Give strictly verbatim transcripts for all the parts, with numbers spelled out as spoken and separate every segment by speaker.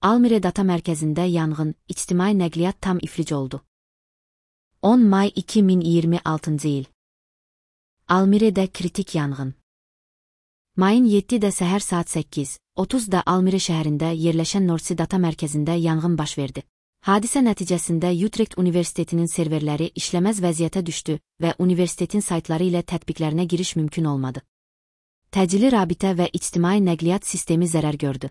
Speaker 1: Almire Data Mərkəzində yanğın, ictimai nəqliyyat tam iflic oldu. on may iki min iyirmi altıncı il. Almire'də kritik yanğın. Mayın yeddidə səhər saat səkkiz otuzda Almire şəhərində yerləşən Nordsea Data Mərkəzində yanğın baş verdi. Hadisə nəticəsində Utrecht Universitetinin serverləri işləməz vəziyyətə düşdü və universitetin saytları ilə tətbiqlərinə giriş mümkün olmadı. Təcili rabitə və ictimai nəqliyyat sistemi zərər gördü.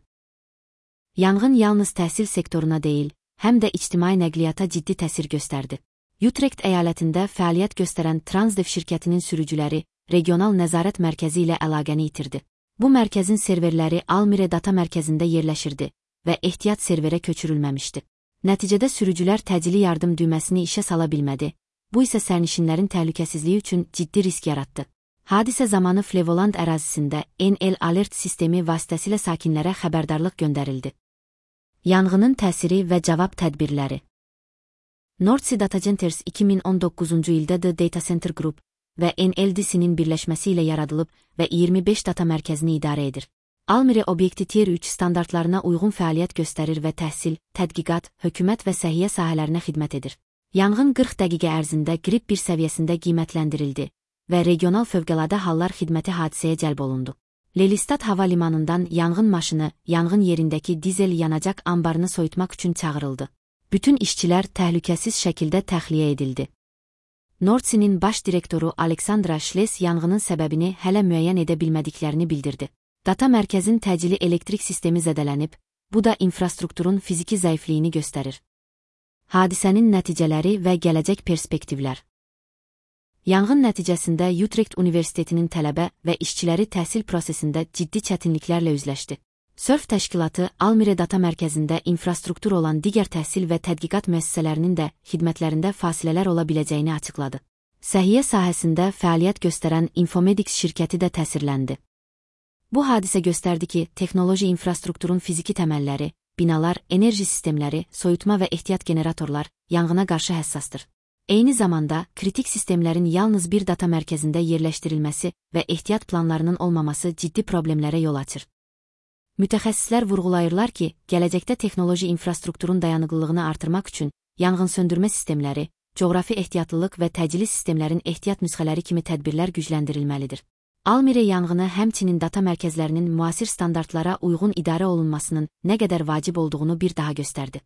Speaker 1: Yanğın yalnız təhsil sektoruna deyil, həm də ictimai nəqliyyata ciddi təsir göstərdi. Utrecht əyalətində fəaliyyət göstərən Transdev şirkətinin sürücüləri regional nəzarət mərkəzi ilə əlaqəni itirdi. Bu mərkəzin serverləri Almire Data Mərkəzində yerləşirdi və ehtiyat serverə köçürülməmişdi. Nəticədə sürücülər təcili yardım düyməsini işə sala bilmədi, bu isə sərnişinlərin təhlükəsizliyi üçün ciddi risk yaratdı. Hadisə zamanı Flevoland ərazisində N L Alert sistemi vasitəsilə sakinlərə xəbərdarlıq göndərildi. Yanğının təsiri və cavab tədbirləri. Nordsea Data Centers iki min on doqquzuncu ildə The Data Center Group və N L D C-nin birləşməsi ilə yaradılıb və iyirmi beş data mərkəzini idarə edir. Almire obyekti Tier üç standartlarına uyğun fəaliyyət göstərir və təhsil, tədqiqat, hökumət və səhiyyə sahələrinə xidmət edir. Yanğın qırx dəqiqə ərzində qrip bir səviyyəsində qiymətləndirildi və regional fövqəladə hallar xidməti hadisəyə cəlb olundu. Lelystad hava limanından yanğın maşını yanğın yerindəki dizel yanacaq anbarını soyutmaq üçün çağırıldı. Bütün işçilər təhlükəsiz şəkildə təxliyə edildi. Nordsea'nin baş direktoru Aleksandra Schles yanğının səbəbini hələ müəyyən edə bilmədiklərini bildirdi. Data mərkəzin təcili elektrik sistemi zədələnib, bu da infrastrukturun fiziki zəifliyini göstərir. Hadisənin nəticələri və gələcək perspektivlər. Yanğın nəticəsində Utrecht Universitetinin tələbə və işçiləri təhsil prosesində ciddi çətinliklərlə üzləşdi. Sörf təşkilatı Almire Data Mərkəzində infrastruktur olan digər təhsil və tədqiqat müəssisələrinin də xidmətlərində fasilələr ola biləcəyini açıqladı. Səhiyyə sahəsində fəaliyyət göstərən Infomedics şirkəti də təsirləndi. Bu hadisə göstərdi ki, texnoloji infrastrukturun fiziki təməlləri, binalar, enerji sistemləri, soyutma və ehtiyat generatorlar yanğına qarşı həssasdır. Eyni zamanda, kritik sistemlərin yalnız bir data mərkəzində yerləşdirilməsi və ehtiyat planlarının olmaması ciddi problemlərə yol açır. Mütəxəssislər vurğulayırlar ki, gələcəkdə texnoloji infrastrukturun dayanıqlılığını artırmaq üçün yanğınsöndürmə sistemləri, coğrafi ehtiyatlılıq və təcili sistemlərin ehtiyat nüsxələri kimi tədbirlər gücləndirilməlidir. Almire yanğını həmçinin data mərkəzlərinin müasir standartlara uyğun idarə olunmasının nə qədər vacib olduğunu bir daha göstərdi.